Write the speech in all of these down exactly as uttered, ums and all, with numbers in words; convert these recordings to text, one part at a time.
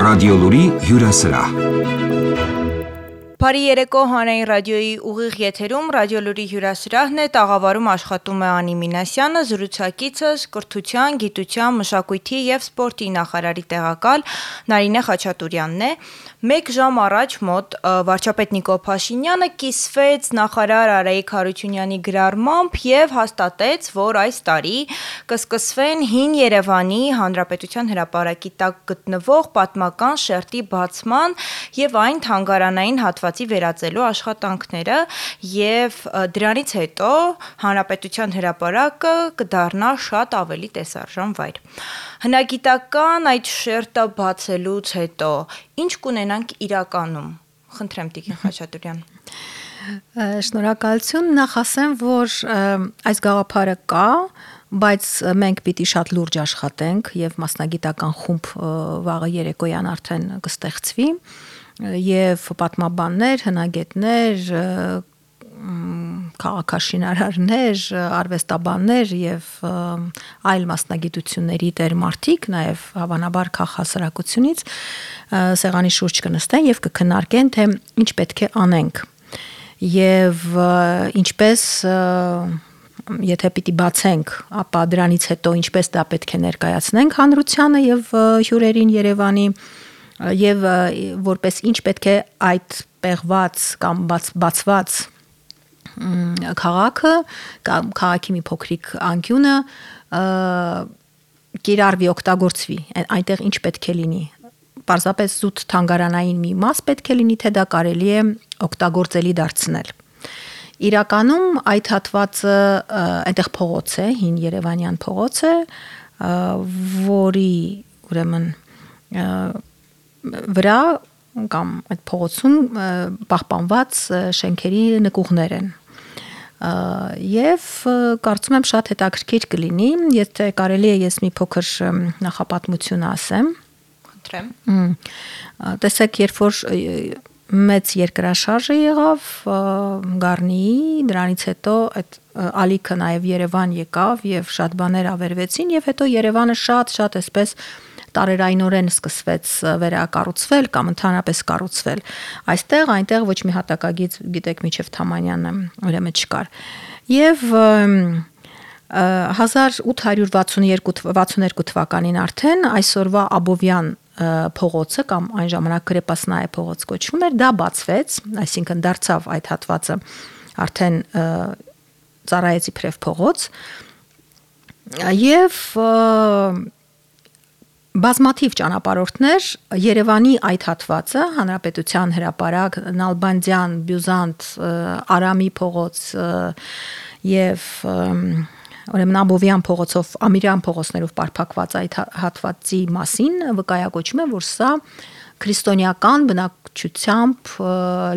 Ռադիոլուրի հյուրասրահ։ Բարի երեկո, հանրային ռադիոյի ուղիղ եթերում Ռադիոլուրի հյուրասրահն է, տաղավարում աշխատում է Անի Մինասյանը, զրուցակիցս կրթության, գիտության, մշակույթի եւ սպորտի նախարարի տեղակալ Նարինե Խաչատուրյանն է։ Մեկ ժամ առաջ մոտ վարչապետ Նիկոլ Փաշինյանը կիսվեց նախարար Արայիկ Հարությունյանի գրառմամբ եւ հաստատեց, որ այս տարի կսկսվեն Հին Երևանի Հանրապետության հրապարակի տակ գտնվող պատմական շերտի բացման եւ այն թանգարանային հատվածի վերածելու աշխատանքները եւ դրանից հետո Հանրապետության հրապարակը կդառնա շատ ավելի տեսարժան վայր։ Հնագիտական այդ շերտը բացելուց հետո ինչ կունենանք իրականում։ Խնդրեմ Տիկին Խաչատուրյան։ Շնորհակալություն, նախ ասեմ, որ այս գաղափարը կա, բայց մենք պիտի շատ լուրջ աշխատենք եւ մասնագիտական խումբ վաղը երեկոյան արդեն կստեղծվի եւ պատմաբաններ, հնագետներ, քաղաքաշինարարներ, արվեստաբաններ եւ այլ մասնագիտությունների տերմարտիկ, նաեւ հավանաբար քաղաքասարակությունից սեղանի շուրջ կնստեն եւ կքննարկեն, թե ինչ պետք է անենք եւ ինչպես եթե պիտի բացենք, ապա դրանից հետո ինչպես դա պետք է ներկայացնենք հանրությանը եւ հյուրերին Երևանի եւ որպես ինչ պետք է այդ պեղված կամ բաց, բացված քաղաքը կամ քաղաքի մի փոքրիկ անկյունը կիրառվի, օգտագործվի, այնտեղ ինչ պետք է լինի։ Պարզապես զուտ թանգարանային մի մաս պետք է լինի, թե դա կարելի է օգտագործելի դարձնել։ Իրականում այդ հատվածը այնտեղ փողոց է, Հին Երևանյան փողոց է, որի ուրեմն վրա կամ այդ փողոցում պահպանված շենքերի նկուղներ են։ Եվ կարծում եմ շատ հետաքրքիր կլինի, եթե կարելի է ես մի փոքր նախապատմություն ասեմ։ Խնդրեմ։ Տեսեք, երբ որ մեծ երկրաշարժը եղավ Գառնիի, դրանից հետո այդ ալիքը նաև Երևան եկավ եւ շատ բաներ ավերվեցին եւ հետո Երևանը շատ-շատ այսպես տարերայնորեն սկսվեց վերակառուցվել կամ ընդհանրապես կառուցվել։ Այստեղ, այնտեղ ոչ մի հատակագիծ, գիտեք, միջև Թամանյանը ուրեմն չկար։ Եվ հազար ութ հարյուր վաթսուն թվականին արդեն այսօրվա Աբովյան փողոցը կամ այն ժամանակ Կրեպասնայե փողոց կոչվում էր, դա բացվեց, այսինքն դարձավ այդ հատվածը արդեն ծառայեց իբրև փողոց։ Եվ բազմաթիվ ճանապարհորդներ Երևանի այդ հատվածը, Հանրապետության հրապարակ, Նալբանդյան, Բյուզանտ, Արամի փողոց եւ ուրեմն Աբովյան փողոցով, Ամիրյան փողոցներով պարփակված այդ հատվածի մասին վկայակոչում է, որ սա քրիստոնեական բնակչությամբ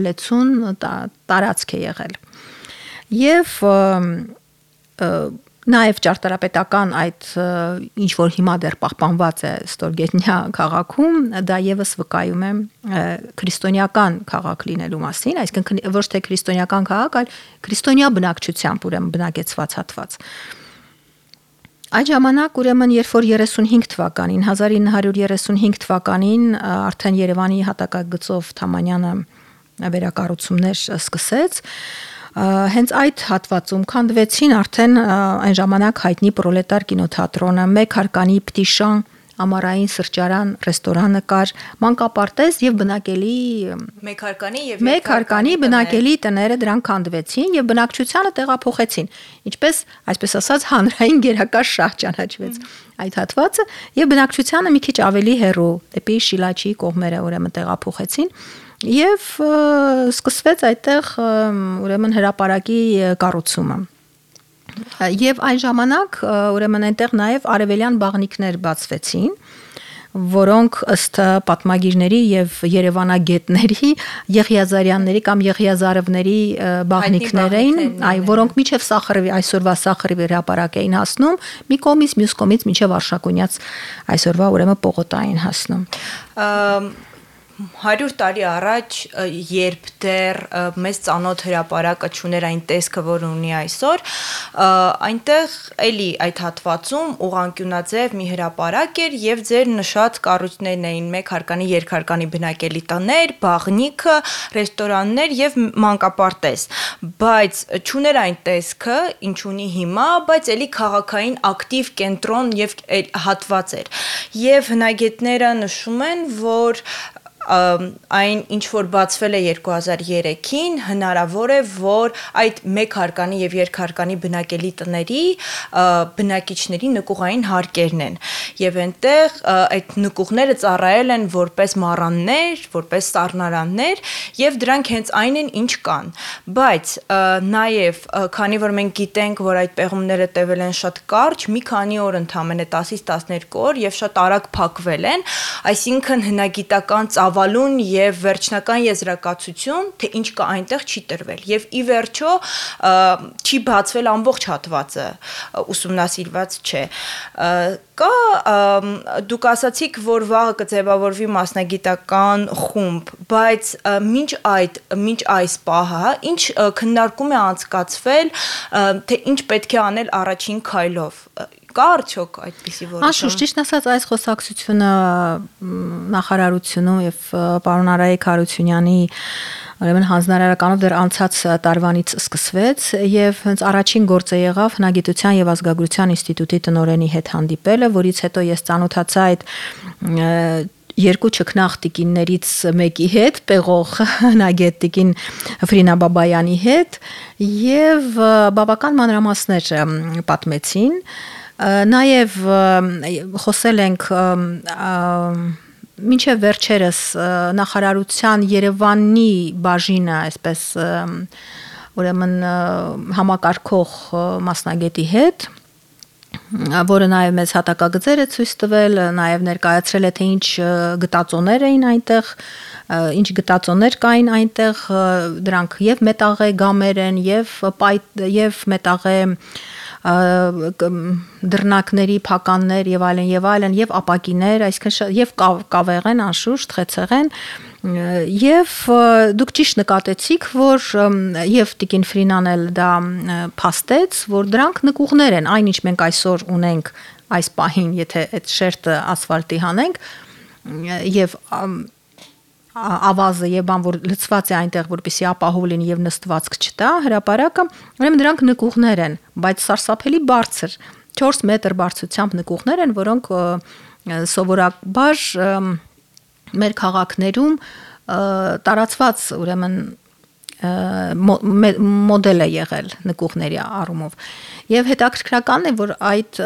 լեցուն տարածք է եղել։ Եվ նաև ճարտարապետական այդ ինչ որ հիմա դեռ պահպանված է Ստորգետնյա քաղաքում, դա եւս վկայում է քրիստոնեական քաղաք լինելու մասին, այսինքն ոչ թե քրիստոնեական քաղաք, այլ քրիստոնյա բնակչությամբ ուրեմն բնակեցված հատված։ Այդ ժամանակ ուրեմն երբ որ երեսունհինգ թվականին, հազար ինը հարյուր երեսունհինգ թվականին արդեն Երևանի հատակագծով Թամանյանը վերակառուցումներ սկսեց, հենց այդ հատվածում քանդվեցին արդեն այն ժամանակ հայտնի պրոլետար կինոթատրոնը, մեկ հարկանի Պտիշան, ամառային սրճարան, ռեստորանը կար, մանկապարտեզ եւ բնակելի մեկ հարկանի եւ մեկ հարկանի բնակելի տները դրանք քանդվեցին եւ բնակչությանը տեղափոխեցին, ինչպես այսպես ասած հանրային գերակա շահ ճանաչվեց այդ հատվածը եւ բնակչությանը մի քիչ ավելի հեռու դեպի Շիլաչի կողմերը ուրեմն տեղափոխեցին եւ սկսվեց այդտեղ ուրեմն հրապարակի կառուցումը։ Եվ այն ժամանակ ուրեմն այնտեղ նաև արևելյան բաղնիքներ բացվեցին, որոնք ըստ պատմագիրների եւ երևանագետների Եղիազարյանների կամ Եղիազարովների բաղնիքներ էին, այ որոնք միջև Սախարովի այսօրվա Սախարովի հրապարակ էին հասնում, մի կողմից մյուս կողմից միջև Արշակունյաց այսօրվա ուրեմն Պողոտային հասնում։ հարյուր տարի առաջ, երբ դեռ մեծ ծանոթ հրապարակը չուներ այն տեսքը, որ ունի այսօր, այնտեղ էլի այդ հատվածում ուղղանկյունաձև մի հրապարակ էր եւ ձեր նշած կառույցներն էին մեկ հարկանի, երկհարկանի բնակելի տներ, բաղնիքը, ռեստորաններ եւ մանկապարտեզ, բայց չուներ այն տեսքը, ինչ ունի հիմա, բայց էլի քաղաքային ակտիվ կենտրոն եւ հատված էր։ Եվ հնագետները նշում են, որ այն ինչ որ բացվել է երկու հազար երեքին հնարավոր է որ այդ մեկ հարկանի եւ երկհարկանի բնակելի տների բնակիչների նկուղային հարկերն են եւ այնտեղ այդ նկուղները ծառայել են որպես մառաններ, որպես սառնարաններ եւ դրանք հենց այն են ինչ կան, բայց նաեւ քանի որ մենք գիտենք որ այդ պեղումները տևել են շատ կարճ, մի քանի օր ընդամենը տասից տասներկու օր եւ շատ արագ փակվել են, այսինքն հնագիտական ծավալուն եւ վերջնական եզրակացություն, թե ինչ կա այնտեղ չի տրվել եւ ի վերջո չի բացվել ամբողջ հատվածը, ուսումնասիրված չէ։ Կա դուք ասացիք, որ վաղը կձևավորվի մասնագիտական խումբ, բայց մինչ այդ, մինչ այս պահը, ինչ քննարկում է անցկացվել, թե ինչ պետք է անել առաջին քայլով։ Կա արդյոք այդպիսի որոշում։ Անշուշտ ճիշտ ասած այս խոսակցությունը նախարարությունում եւ պարոն Արայիկ Հարությունյանի ուրեմն հանձնարարականով դեռ անցած տարվանից սկսվեց եւ հենց առաջին գործը եղավ հնագիտության եւ ազգագրության ինստիտուտի տնօրենի հետ հանդիպելը, որից հետո ես ծանոթացա այդ երկու ճկնաղ տիկիններից մեկի հետ, պեղող հնագետ տիկին Ֆրինա Բաբայանի հետ եւ բավական մանրամասներ պատմեցին։ Նաև խոսել ենք մինչև վերջերս նախարարության Երևանի բաժինը, այսպես ուրեմն համակարգող մասնագետի հետ, որը նաև մեծ հատակագծեր է ցույց տվել, նաև ներկայացրել է թե ինչ գտածոներ էին այնտեղ, ինչ գտածոներ կային այնտեղ, դրանք եւ մետաղե գամեր են, եւ եւ մետաղե դռնակների փականներ եւ այլն եւ այլն եւ ապակիներ, այսինքն եւ կավեղեն անշուշտ խեցեղեն եւ դուք ճիշտ նկատեցիք, որ եւ տիկին Ֆրինան էլ դա փաստեց, որ դրանք նկուղներ են, այնինչ մենք այսօր ունենք այս պահին, եթե այդ շերտը ասֆալտի հանենք եւ ավազը եւ բան որ լցված է այնտեղ որպեսի ապահով լինի եւ նստվածք չտա հրապարակը, ուրեմն դրանք նկուղներ են, բայց սարսափելի բարձր չորս մետր բարձրությամբ նկուղներ են, որոնք սովորաբար մեր քաղաքներում տարածված ուրեմն մոդել է եղել նկուղների առումով եւ հետաքրքրական է որ այդ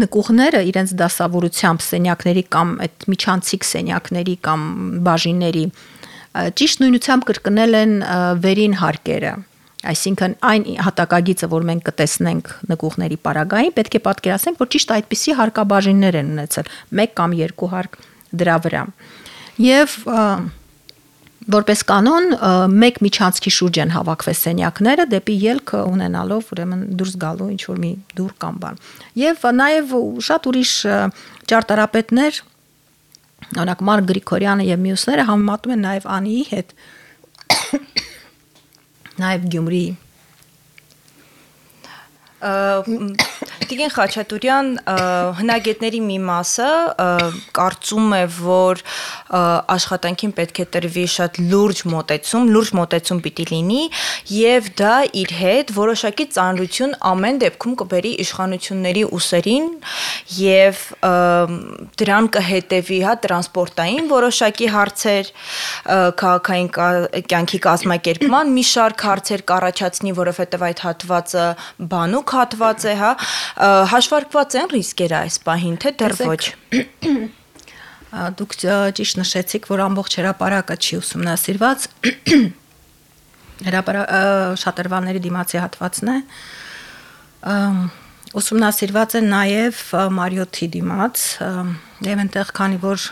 նկուղները իրենց դասավորությամբ սենյակների կամ այդ միջանցիկ սենյակների կամ բաժինների ճիշտ նույնությամբ կրկնել են վերին հարկերը, այսինքն այն հատակագիծը որ մենք կտեսնենք նկուղների պարագային պետք է պատկերացնենք որ ճիշտ այդպիսի հարկաբաժիններ են ունեցել մեկ կամ երկու հարկ դրա վրա եւ որպես կանոն մեկ միջանցքի շուրջ են հավաքվել սենյակները դեպի ելք ունենալով ուրեմն դուրս գալու ինչ որ մի դուռ կամ բան եւ նաեւ շատ ուրիշ ճարտարապետներ օրինակ Մարկ Գրիգորյանը եւ մյուսները համեմատում են նաեւ Անիի հետ նաեւ Գյումրի Տիկին Խաչատուրյան հնագետների մի մասը կարծում է, որ աշխատանքին պետք է տրվի շատ լուրջ մոտեցում, լուրջ մոտեցում պիտի լինի եւ դա իր հետ որոշակի ծանրություն ամեն դեպքում կբերի իշխանությունների ուսերին եւ դրան կհետեւի հա տրանսպորտային որոշակի հարցեր, քաղաքային կյանքի կազմակերպման մի շարք հարցեր կառաջացնի, որովհետեւ այդ հատվածը բանուկ հատված է, հա, հաշվարկված են ռիսկերը այս պահին, թե դեռ ոչ։ Դուք ճիշտ նշեցիք, որ ամբողջ հրապարակը չի ուսումնասիրված, շատրվանների դիմացի հատվածն է, ուսումնասիրված է նաև Մարիոթի դիմաց, եւ այնտեղ քանի որ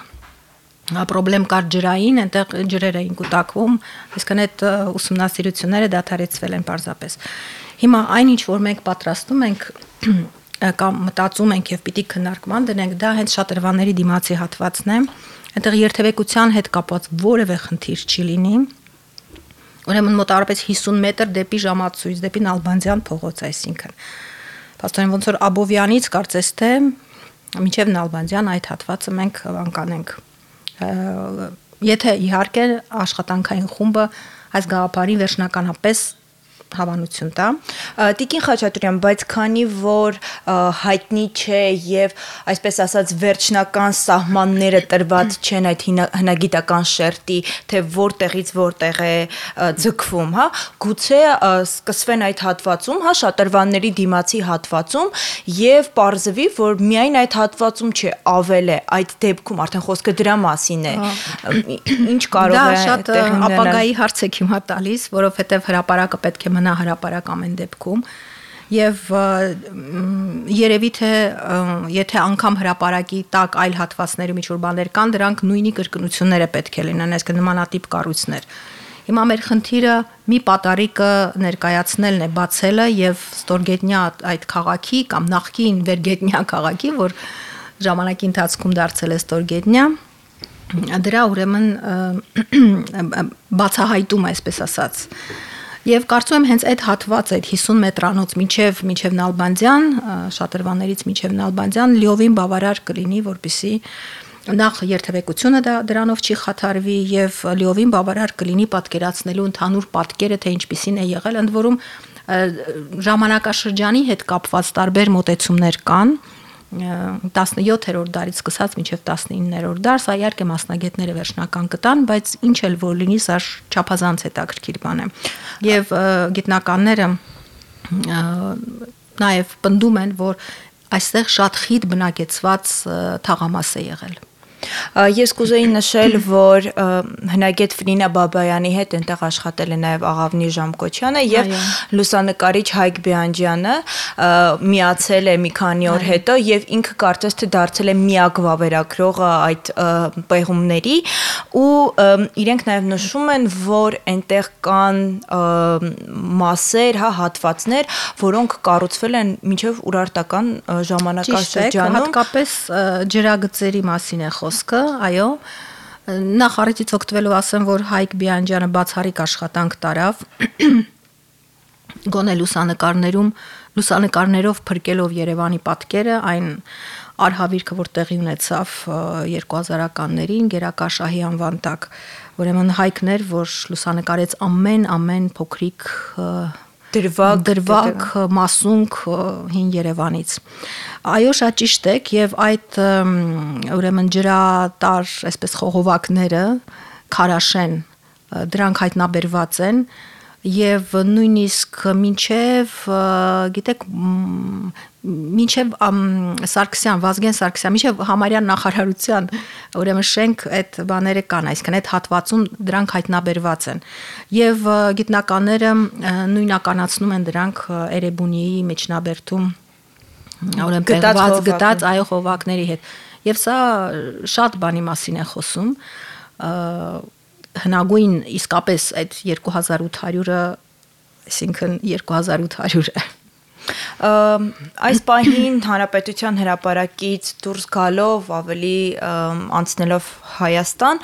պրոբլեմ կար ջրային, այնտեղ ջրեր էին կուտակվում, այսինքն այդ ուսումնասիրությունները դադարեցվել են պարզապես։ Հիմա այնինչ որ մենք պատրաստում ենք կամ մտածում ենք եւ պիտի քննարկման դնենք, դա հենց շատրվանների դիմացի հատվածն է, Այնտեղ երթևեկության հետ կապված որևէ խնդիր չի լինի։ Ուրեմն մոտավորապես հիսուն մետր դեպի ժամացույց, դեպի Նալբանդյան փողոց, այսինքն։ Պաստորեն ոնց որ Աբովյանից կարծես թե մինչև Նալբանդյան այդ հատվածը մենք անկանենք։ Եթե իհարկե աշխատանքային խումբը այս գաղափարին վերջնականապես հավանություն տա։ Տիկին Խաչատուրյան, բայց քանի որ հայտնի չէ եւ այսպես ասած վերջնական սահմանները տրված չեն այդ հնագիտական շերտի, թե որտեղից որտեղ է ձգվում, հա, գուցե սկսվեն այդ հատվածում, հա, շատրվանների դիմացի հատվածում եւ պարզվի, որ միայն այդ հատվածում չէ, ավել է, այդ դեպքում արդեն խոսքը դրա մասին է։ Ինչ կարող է շատ ապագայի հարց եք հիմա տալիս, որովհետեւ հրապարակը պետք է մնա հրապարակ ամեն դեպքում եւ երևի թե եթե անգամ հրապարակի տակ այլ հատվածներում ինչ-որ բաներ կան, դրանք նույնի կրկնությունները պետք է լինեն, այսինքն նմանատիպ կառույցներ։ Հիմա մեր խնդիրը մի պատարիկը ներկայացնելն է, բացելը եւ ստորգետնյա այդ քաղաքի կամ նախկին վերգետնյա քաղաքի, որ ժամանակի ընթացքում դարձել է ստորգետնյա, դրա ուրեմն բացահայտում, այսպես ասած։ Եվ կարծում եմ հենց այդ հատվածը, այդ հիսուն մետրանոց մինչև մինչև Նալբանդյան, շատրվաններից մինչև Նալբանդյան լիովին բավարար կլինի, որպեսզի նախ երթևեկությունը դա դրանով չի խաթարվի եւ լիովին բավարար կլինի պատկերացնելու ընդհանուր պատկերը, թե ինչպիսին է եղել, ընդ որում ժամանակաշրջանի հետ կապված տարբեր մոտեցումներ կան, տասնյոթերորդ դարից սկսած մինչև տասնիններորդ դար, սա իհարկե մասնագետները վերջնական կտան, բայց ինչ էլ որ լինի, սա չափազանց հետաքրքիր բան է։ Եվ գիտնականները նաև պնդում են, որ այստեղ շատ խիտ բնակեցված թաղամաս է եղել։ Ես կուզեի նշել, որ հնագետ Ֆրինա Բաբայանի հետ այնտեղ աշխատել է նաև Աղավնի Ժամկոչյանը եւ լուսանկարիչ Հայկ Բեանջյանը միացել է մի քանի օր հետո եւ ինքը կարծես թե դարձել է միակ վավերագրողը այդ պեղումների ու իրենք նաև նշում են, որ այնտեղ կան մասեր, հա, հատվածներ, որոնք կառուցվել են մինչև ուրարտական ժամանակաշրջանում, հատկապես ջրագծերի մասին է խոսքը, այո, նախ առիթից օգտվելով ասեմ, որ Հայկ Բիանջյանը բացառիկ աշխատանք տարավ գոնե լուսանկարներում, լուսանկարներով փրկելով Երևանի պատկերը, այն արհավիրքը, որ տեղի ունեցավ երկու հազարականներին Գերակաշահի անվան տակ, ուրեմն Հայկն էր, որ լուսանկարեց ամեն ամեն փոքրիկ դրվագ, դրվագ մասունք հին Երևանից։ Այո, շատ ճիշտ եք եւ այդ ուրեմն ջրատար, այսպես խողովակները, քարաշեն, դրանք հայտնաբերված են եւ նույնիսկ մինչեւ, գիտեք, մինչեւ Սարգսյան, Վազգեն Սարգսյան, մինչեւ Համարյան նախարարության, ուրեմն շենք այդ բաները կան, այսինքն այդ հատվածում դրանք հայտնաբերված են։ Եվ գիտնականները նույնականացնում են դրանք Էրեբունիի Մեջնաբերդում, ուրեմն պեղված գտած այո խողովակների հետ։ Եվ սա շատ բանի մասին է խոսում, հնագույն իսկապես այդ երկու հազար ութ հարյուրը, այսինքն երկու հազար ութ հարյուրը Այս պահին հանրապետության հրապարակից դուրս գալով ավելի անցնելով Հայաստան,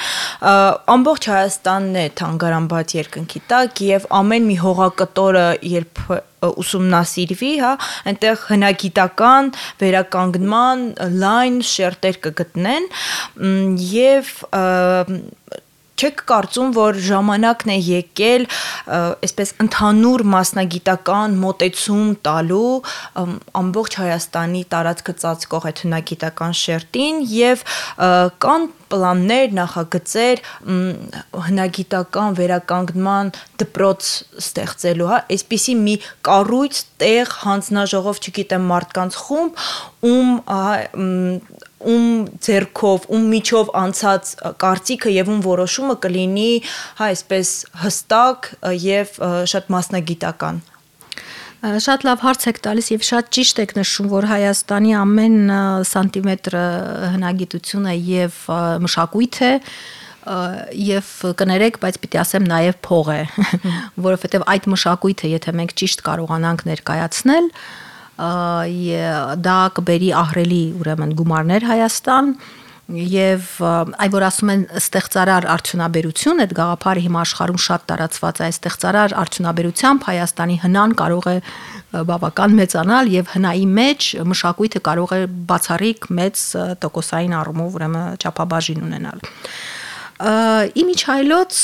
ամբողջ Հայաստանն է թանգարանված երկնքի տակ եւ ամեն մի հողակտորը երբ ուսումնասիրվի, հա, այնտեղ հնագիտական վերականգնման լայն շերտեր կգտնեն եւ չեք կարծում, որ ժամանակն է եկել այսպես ընդհանուր մասնագիտական մոտեցում տալու ամբողջ Հայաստանի տարածքը ծածկող այդ հնագիտական շերտին եւ կան պլաններ, նախագծեր հնագիտական վերականգնման դպրոց ստեղծելու, հա, այսպիսի մի կառույց, տեղ, հանձնաժողով, չգիտեմ, մարդկանց խումբ, ում ում ձեռքով, ում միջով անցած կարծիքը եւ ում որոշումը կլինի, հա, այսպես հստակ եւ շատ մասնագիտական։ Շատ լավ հարց եք տալիս եւ շատ ճիշտ եք նշում, որ Հայաստանի ամեն սանտիմետրը հնագիտություն է եւ մշակույթ է եւ կներեք, բայց պիտի ասեմ նաեւ փող է, որովհետեւ այդ մշակույթը, եթե մենք ճիշտ կարողանանք ներկայացնել, դա կբերի ահռելի ուրեմն գումարներ Հայաստան Եվ այ որ ասում են ստեղծարար արդյունաբերություն, այդ գաղափարը հիմա աշխարհում շատ տարածված է, ստեղծարար արդյունաբերությամբ Հայաստանի հնան կարող է բավական մեծանալ եւ հնայի մեջ մշակույթը կարող է բացառիկ մեծ տոկոսային առումով ուրեմն չափաբաժին ունենալ։ Իմիջայլոց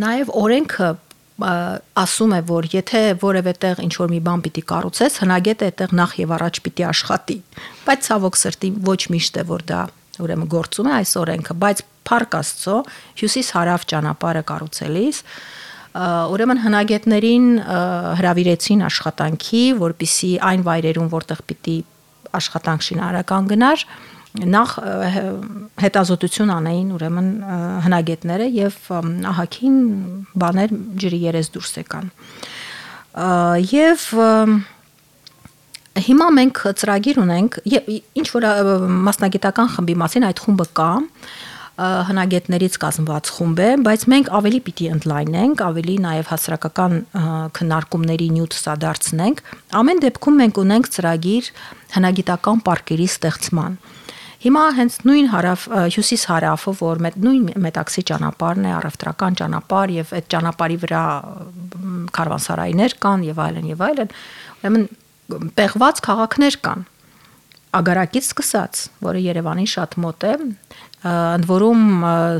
նաեւ օրենքը ասում է, որ եթե որևէ տեղ ինչ որ մի բան պիտի կառուցես, հնագետը այդտեղ նախ եւ առաջ պիտի աշխատի։ Բայց ցավոք սրտի ոչ միշտ է որ դա ուրեմն գործում է այս օրենքը, բայց Փառք Աստծո հյուսիս-հարավ ճանապարհը կառուցելիս ուրեմն հնագետներին հրավիրեցին աշխատանքի, որպիսի այն վայրերում, որտեղ պիտի աշխատանք շինարարական գնար, նախ հետազոտություն անեին ուրեմն հնագետները եւ ահագին բաներ ջրի երես դուրս եկան։ Եվ հիմա մենք ծրագիր ունենք, ինչ որ մասնագիտական խմբի մասին այդ խումբը կա, հնագետներից կազմված խումբ է, բայց մենք ավելի պիտի ընդլայնենք, ավելի նաև հասարակական քննարկումների նյութ սադարձնենք։ Ամեն դեպքում մենք ունենք ծրագիր հնագիտական պարկերի ստեղծման։ Հիմա հենց նույն հարավ հյուսիս-հարավը, որ նույն մետաքսի ճանապարհն է, առևտրական ճանապարհ եւ այդ ճանապարհի վրա քարվանսարայներ կան եւ այլն եւ այլն, ուրեմն պեղված քաղաքներ կան։ Ագարակից սկսած, որը Երևանին շատ մոտ է, ընդ որում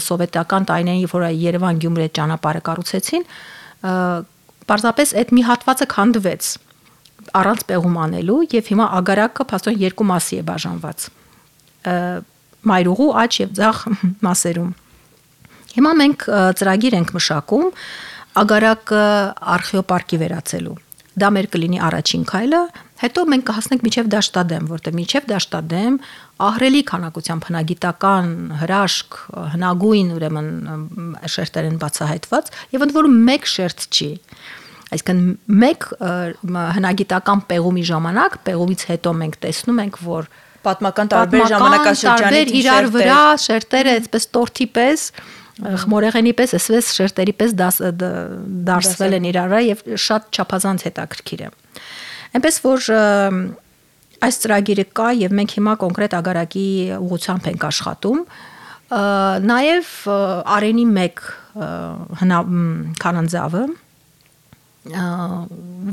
սովետական տարիներին, որ Երևան-Գյումրի ճանապարհը կառուցեցին, պարզապես այդ մի հատվածը քանդվեց առանց պեղում անելու եւ հիմա ագարակը փաստորեն երկու մասի է բաժանված։ Մայրուղու աջ եւ ձախ մասերում։ Հիմա մենք ծրագիր ենք մշակում ագարակը արխեոպարկի վերածելու։ Դա մեր կլինի առաջին քայլը, հետո մենք կհասնենք մինչև Դաշտադեմ, որտեղ մինչև Դաշտադեմ ահռելի քանակությամբ հնագիտական հրաշք, հնագույն ուրեմն շերտեր են բացահայտված եւ ընդ որում մեկ շերտ չի։ Այսինքն մեկ հնագիտական պեղումի ժամանակ, պեղումից հետո մենք տեսնում ենք, որ պատմական տարբեր ժամանակաշրջանից իրար վրա շերտերը այսպես տորթի պես, խմորեղենի պես, այսպես շերտերի պես դարսվել են իրար վրա եւ շատ չափազանց հետաքրքիր է։ Այնպես որ այս ծրագիրը կա եւ մենք հիմա կոնկրետ ագարակի ուղղությամբ ենք աշխատում։ Նաեւ Արենի մեկ քանանձավը,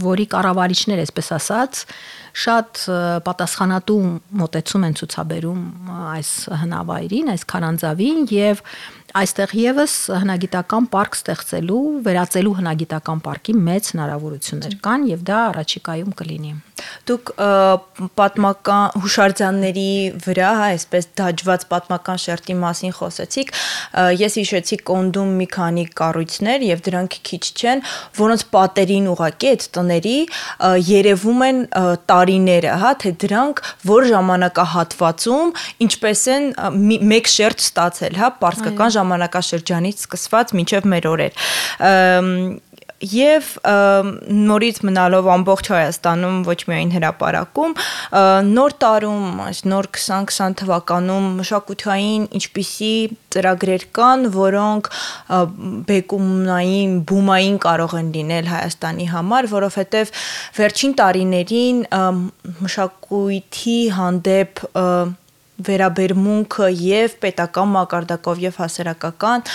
որի կառավարիչներ, այսպես ասած, շատ պատասխանատու մոտեցում են ցուցաբերում այս հնավայրին, այս քարանձավին եւ այստեղ եւս հնագիտական պարկ ստեղծելու, վերածելու հնագիտական պարկի մեծ հնարավորություններ կան եւ դա առաջիկայում կլինի։ Դուք պատմական հուշարձանների վրա, այսպես դաջված պատմական շերտի մասին խոսեցիք, ես հիշեցի Կոնդում մի քանի կառույցներ եւ դրանք քիչ չեն, որոնց պատերին ուղղակի այդ տների երևում են տարիները, հա, թե դրանք որ ժամանակահատվածում ինչպես են մեկ շերտ ստացել, հա, պարսկական ժամանակաշրջանից սկսված մինչև մեր օրեր։ Եվ նորից մնալով ամբողջ Հայաստանում, ոչ միայն հրապարակում, նոր տարում, նոր քսան քսան թվականում մշակութային ինչպիսի ծրագրեր կան, որոնք բեկումնային, բումային կարող են լինել Հայաստանի համար, որովհետև վերջին տարիներին մշակույթի հանդեպ վերաբերմունքը եւ պետական մակարդակով եւ հասարակական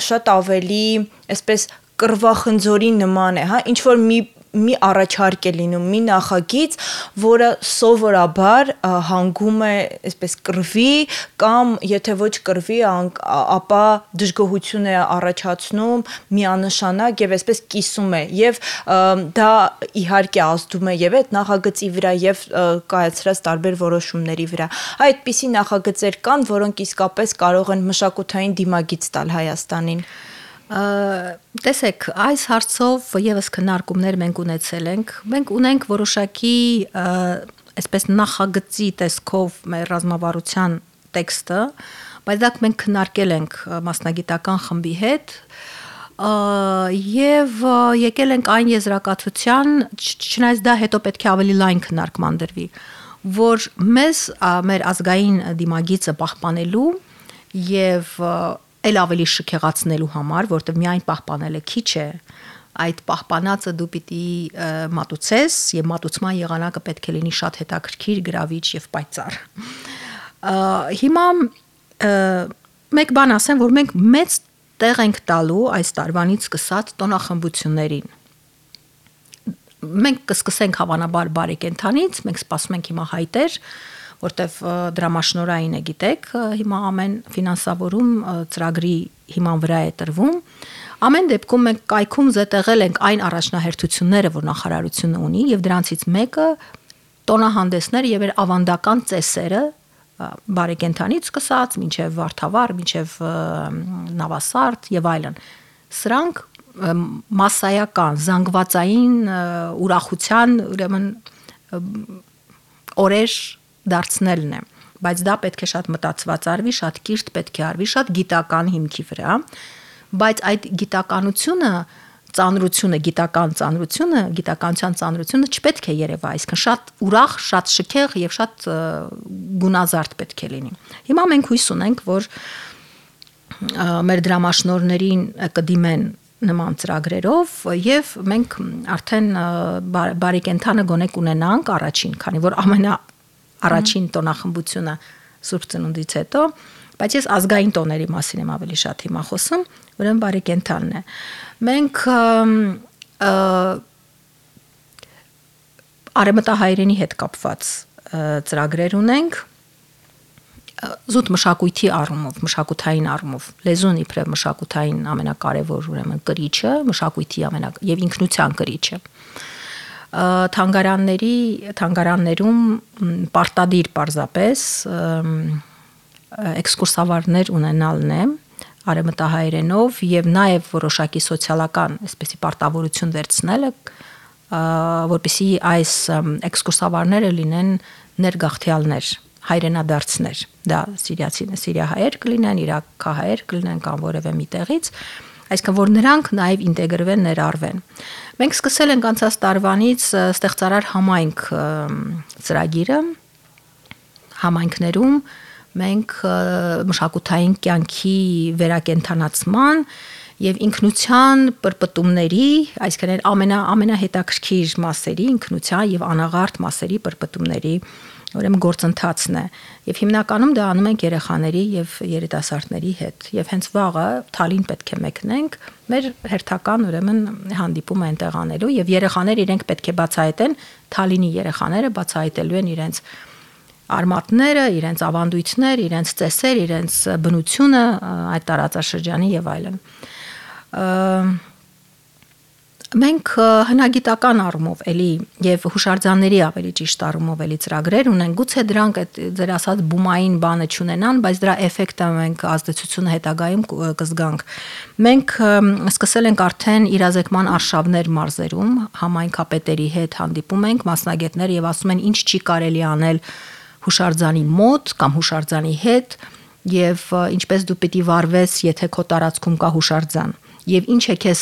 շատ ավելի այսպես կռվախնձորի նման է, հա, ինչ որ մի մի առաջարկ է լինում, մի նախագիծ, որը սովորաբար հանգում է այսպես կռվի կամ եթե ոչ կռվի, ապա դժգոհություն է առաջացնում, միանշանակ եւ այսպես կիսում է եւ դա իհարկե ազդում է եւ այդ նախագծի վրա եւ կայացրած տարբեր որոշումների վրա։ Այդպիսի նախագծեր կան, որոնք իսկապես կարող են մշակութային դիմագիծ տալ Հայաստանին։ Տեսեք, այս հարցով եւս քննարկումներ մենք ունեցել ենք։ Մենք ունենք որոշակի այսպես նախագծի տեսքով մեր ռազմավարության տեքստը, բայց դա մենք քննարկել ենք մասնագիտական խմբի հետ եւ եկել ենք այն եզրակացության, չնայած դա հետո պետք է ավելի լայն քննարկման դրվի, որ մեզ մեր ազգային դիմագիծը պահպանելու եւ էլ ավելի շքեղացնելու համար, որտեղ միայն պահպանելը քիչ է, այդ պահպանածը դու պիտի մատուցես եւ մատուցման եղանակը պետք է լինի շատ հետաքրքիր, գրավիչ եւ պայծառ։ Հիմա մեկ բան ասեմ, որ մենք մեծ տեղ ենք տալու այս տարվանից սկսած տոնախմբություններին։ Մենք կսկսենք հավանաբար բարեկենդանից, մենք սպասում ենք հիմա հայտեր, որտեվ դրամաշնորհային է, գիտեք, հիմա ամեն ֆինանսավորում ծրագրի հիման վրա է տրվում։ Ամեն դեպքում մենք կայքում զետեղել ենք այն առաջնահերթությունները, որ նախարարությունը ունի, եւ դրանցից մեկը տոնահանդեսներ եւ ավանդական ծեսերը բարեկենդանից սկսած, մինչև Վարդավառ, մինչև Նավասարդ եւ այլն։ Սրանք մասսայական, զանգվածային ուրախության, ուրեմն օրեր դարձնելն է, բայց դա պետք է շատ մտածված արվի, շատ կիրթ պետք է արվի, շատ գիտական հիմքի վրա, բայց այդ գիտականությունը, ծանրությունը, գիտական ծանրությունը, գիտականության ծանրությունը չպետք է երևա, այսինքն շատ ուրախ, շատ շքեղ եւ շատ գունազարդ պետք է լինի։ Հիմա մենք հույս ունենք, որ մեր դրամաշնորհներին կդիմեն նման ծրագրերով եւ մենք արդեն բարեկենդանը գոնե կունենանք առաջին, քանի որ ամենա առաջին տոնախմբությունը Սուրբ Ծնունդից հետո, բայց ես ազգային տոների մասին եմ ավելի շատ հիմա խոսում, ուրեմն բարեկենդանն է։ Մենք արևմտահայերենի հետ կապված ծրագրեր ունենք, զուտ մշակույթի առումով, մշակութային առումով, լեզուն իբրև մշակութային ամենակարևոր ուրեմն կրիչը, մշակույթի ամենա եւ ինքնության կրիչը։ Թանգարանների, թանգարաններում պարտադիր պարզապես էքսկուրսավարներ ունենալն է արևմտահայերենով եւ նաեւ որոշակի սոցիալական, այսպեսի պարտավորություն վերցնելը, որպեսզի այս էքսկուրսավարները լինեն ներգաղթյալներ, հայրենադարձներ, դա սիրիացին, սիրիահայեր կլինեն, իրաքահայեր կլինեն կամ որևէ միտեղից, այսինքն որ նրանք նաև ինտեգրվեն, ներառվեն։ Մենք սկսել ենք անցած տարվանից ստեղծարար համայնք ծրագիրը, համայնքներում մենք մշակութային կյանքի վերակենդանացման եւ ինքնության պրպտումների, այսինքն ամենա ամենահետաքրքիր մասերի, ինքնության եւ անաղարտ մասերի պրպտումների ուրեմն գործընթացն է եւ հիմնականում դա անում ենք երեխաների եւ երիտասարդների հետ եւ հենց վաղը Թալին պետք է մեկնենք մեր հերթական ուրեմն հանդիպումը այնտեղ անելու եւ երեխաները իրենք պետք է բացահայտեն Թալինի երեխաները բացահայտելու են իրենց արմատները, իրենց ավանդույթներ, իրենց ծեսեր, իրենց բնությունը այդ տարածաշրջանի եւ այլն։ Մենք հնագիտական առումով էլի եւ հուշարձանների ավելի ճիշտ առումով էլի ծրագրեր ունենք, գուցե դրանք այդ ձեր ասած բումային բանը չունենան, բայց դրա էֆեկտը մենք ազդեցությունը հետագայում կզգանք։ Մենք սկսել ենք արդեն իրազեկման արշավներ մարզերում, համայնքապետերի հետ հանդիպում ենք, մասնագետներ եւ ասում են ինչ չի կարելի անել հուշարձանի մոտ կամ հուշարձանի հետ եւ ինչպես դու պիտի վարվես, եթե քո տարածքում կա հուշարձան։ Եվ ինչ է քեզ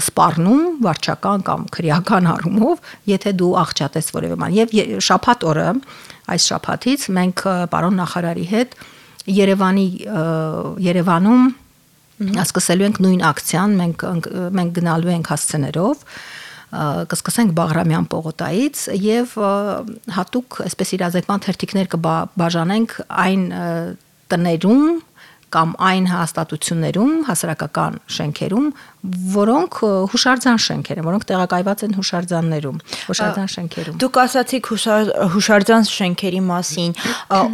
սպառնում վարչական կամ քրեական առումով, եթե դու աղճատես որևէ բան։ Եվ շաբաթ օրը, այս շաբաթից մենք պարոն նախարարի հետ Երևանի Երևանում սկսելու ենք նույն ակցիան, մենք մենք գնալու ենք հասցեներով, կսկսենք Բաղրամյան պողոտայից եւ հատուկ այսպես իրազեկման թերթիկներ կբաժանենք այն տներում կամ այն հաստատություններում, հասարակական շենքերում, որոնք հուշարձան շենքեր են, որոնք տեղակայված են հուշարձաններում, հուշարձան շենքերում։ Դուք ասացիք հուշարձան շենքերի մասին,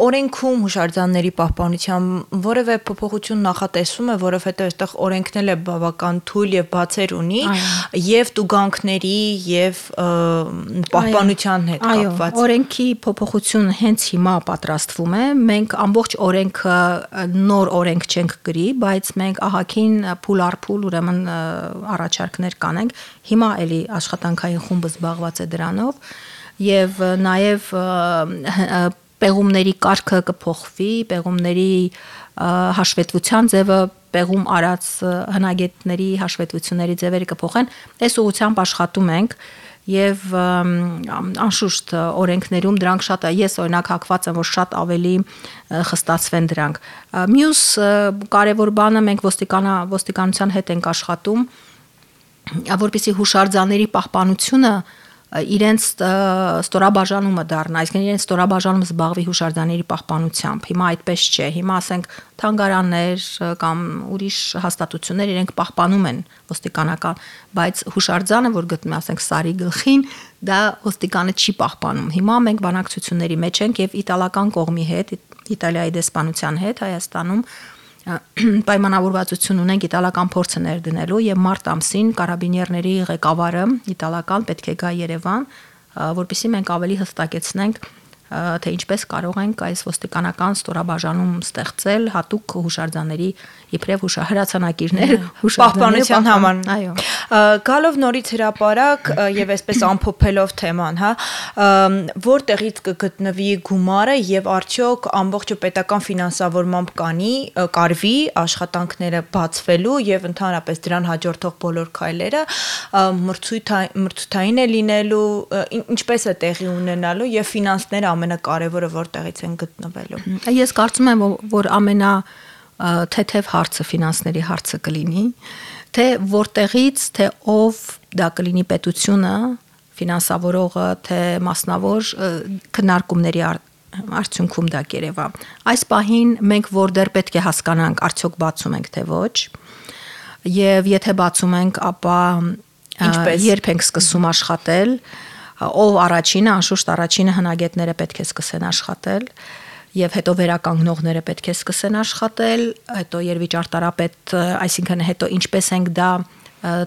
օրենքում հուշարձանների պահպանության որևէ փոփոխություն նախատեսվում է, որովհետև այդտեղ օրենքն էլ է բավական թույլ եւ բացեր ունի, եւ տուգանքների եւ պահպանության հետ կապված։ Այո, օրենքի փոփոխություն հենց հիմա պատրաստվում է, մենք ամբողջ օրենքը նոր օրենք չենք գրի, բայց մենք ահագին փուլ առ փուլ ուրեմն առաջարկներ կանենք։ Հիմա էլի աշխատանքային խումբը զբաղված է դրանով եւ նաեւ պեղումների կարգը կփոխվի, պեղումների հաշվետվության ձևը, պեղում արած հնագետների հաշվետվությունների ձևերը կփոխեն։ Այս ուղղությամբ աշխատում ենք եւ անշուշտ օրենքներում դրանք շատ ես օրինակ հակված եմ որ շատ ավելի խստացվեն դրանք։ Մյուս կարևոր բանը մենք ոստիկանա ոստիկանության հետ ենք աշխատում, որպեսզի հուշարձանների պահպանությունը իրենց ստորաբաժանումը դառնա, այսինքն իրենց ստորաբաժանումը զբաղվի հուշարձանների պահպանությամբ։ Հիմա այդպես չէ։ Հիմա ասենք թանգարաններ կամ ուրիշ հաստատություններ իրենք պահպանում են ոստիկանական, բայց հուշարձանը, որ գտնվում է, ասենք Սարի գլխին, դա ոստիկանը չի պահպանում։ Հիմա մենք բանակցությունների մեջ ենք եւ իտալական կողմի հետ, Իտալիայի դեսպանության հետ Հայաստանում պայմանավորվածություն ունենք իտալական փորձը ներդնելու եւ մարտ ամսին կարաբինիերների ղեկավարը իտալական պետք է գա Երևան, որպեսզի մենք ավելի հստակեցնենք թե ինչպես կարող ենք այս ոստիկանական ստորաբաժանում ստեղծել հատուկ հուշարձանների իբրև հուշահրացանակիրներ պահպանության համար։ Այո։ Գալով նորից հրապարակ եւ այսպես ամփոփելով թեման, հա, որտեղից կգտնվի գումարը եւ արդյոք ամբողջը պետական ֆինանսավորմամբ կանի, կարվի աշխատանքները բացվելու եւ ընդհանրապես դրան հաջորդող բոլոր քայլերը մրցութային է լինելու, ինչպես է տեղի ունենալու եւ ֆինանսները ամենակարևորը որտեղից են գտնվելու։ Ես կարծում եմ, որ ամենա թեթև հարցը ֆինանսների հարցը կլինի, թե որտեղից, թե ով դա կլինի պետությունը, ֆինանսավորողը, թե մասնավոր քննարկումների արդյունքում դա կերևա։ Այս պահին մենք որ դեռ պետք է հասկանանք, արդյոք բացում ենք թե ոչ, եւ եթե բացում ենք, ապա երբ ենք սկսում աշխատել, ով առաջինը, անշուշտ առաջինը հնագետները պետք է սկսեն աշխատել եւ հետո վերականգնողները պետք է սկսեն աշխատել, հետո երվիճարտարապետ, այսինքն հետո ինչպես ենք դա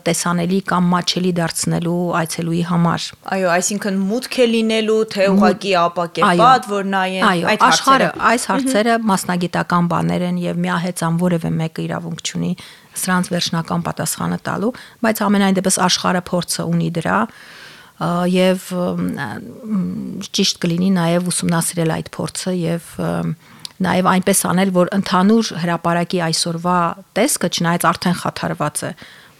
տեսանելի կամ մատչելի դարձնելու այցելուի համար։ Այո, այսինքն մուտք է լինելու, թե ուղղակի ապակեպատ, որ նայեն այդ հարցերը, այս հարցերը մասնագիտական բաներ են եւ միահեծան որևէ մեկը իրավունք չունի սրանց վերջնական պատասխանը տալու, բայց ամենայն դեպս աշխարհը փորձը ունի դրա եւ ճիշտ կլինի նաեւ ուսումնասիրել այդ փորձը եւ նաեւ այնպես անել, որ ընդհանուր հրապարակի այսօրվա տեսքը չնայած արդեն խաթարված է,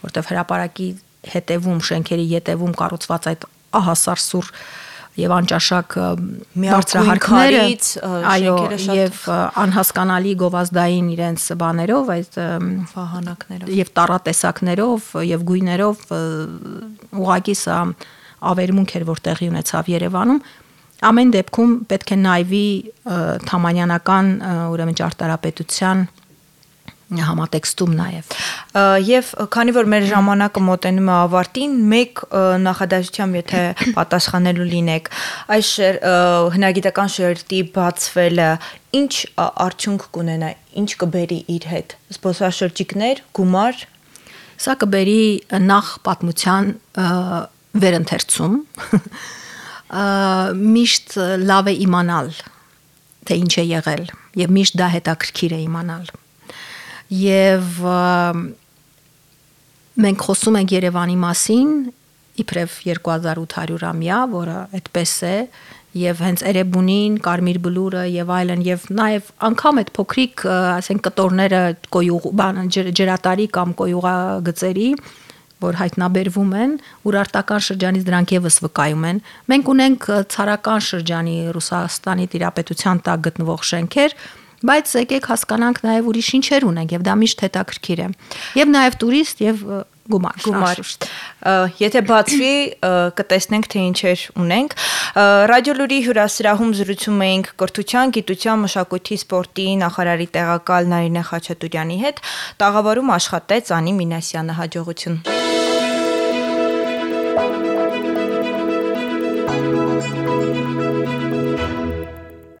որտեղ հրապարակի հետևում, շենքերի ետևում կառուցված այդ ահասարսուր եւ անճաշակ բարձրահարքները, այո, եւ անհասկանալի գովազդային իրենց բաներով, այդ վահանակներով եւ տառատեսակներով եւ գույներով ուղղակի սա ավերմունք էր, որ տեղի ունեցավ Երևանում, ամեն դեպքում պետք է նայվի թամանյանական ուրեմն ճարտարապետության համատեքստում նաև։ Եվ քանի որ մեր ժամանակը մոտենում է ավարտին, մեկ նախադասությամբ եթե պատասխանելու լինեք, այս հնագիտական շերտի բացվելը ինչ արդյունք կունենա, ինչ կբերի իր հետ, զբոսաշրջիկներ, գումար։ Սա կբերի նախ պատմության վերընթերցում, միշտ լավ է իմանալ, թե ինչ է եղել, եւ միշտ դա հետաքրքիր է իմանալ։ Եվ մենք խոսում ենք Երևանի մասին, իբրև երկու հազար ութ հարյուրամյա, որը այդպես է, եւ հենց Էրեբունին, Կարմիր բլուրը եւ այլն, եւ նաեւ անգամ այդ փոքրիկ, ասենք կտորները կոյուղ, բան ջրատարի կամ կոյուղագծերի, որ հայտնաբերվում են, ուրարտական շրջանից դրանք եւս վկայում են։ Մենք ունենք ցարական շրջանի Ռուսաստանի տիրապետության տակ գտնվող շենքեր, բայց եկեք հասկանանք նաեւ ուրիշ ինչեր ունենք եւ դա միշտ հետաքրքիր է։ Եվ նաեւ տուրիստ եւ գումար, գումար։ Եթե բացվի, կտեսնենք թե ինչեր ունենք։ Ռադիոլուրի հյուրասրահում զրուցում էինք կրթության, գիտության, մշակույթի, սպորտի նախարարի տեղակալ Նարինե Խաչատուրյանի հետ, տաղավարում աշխատեց Անի Մինասյանը, հաջողություն։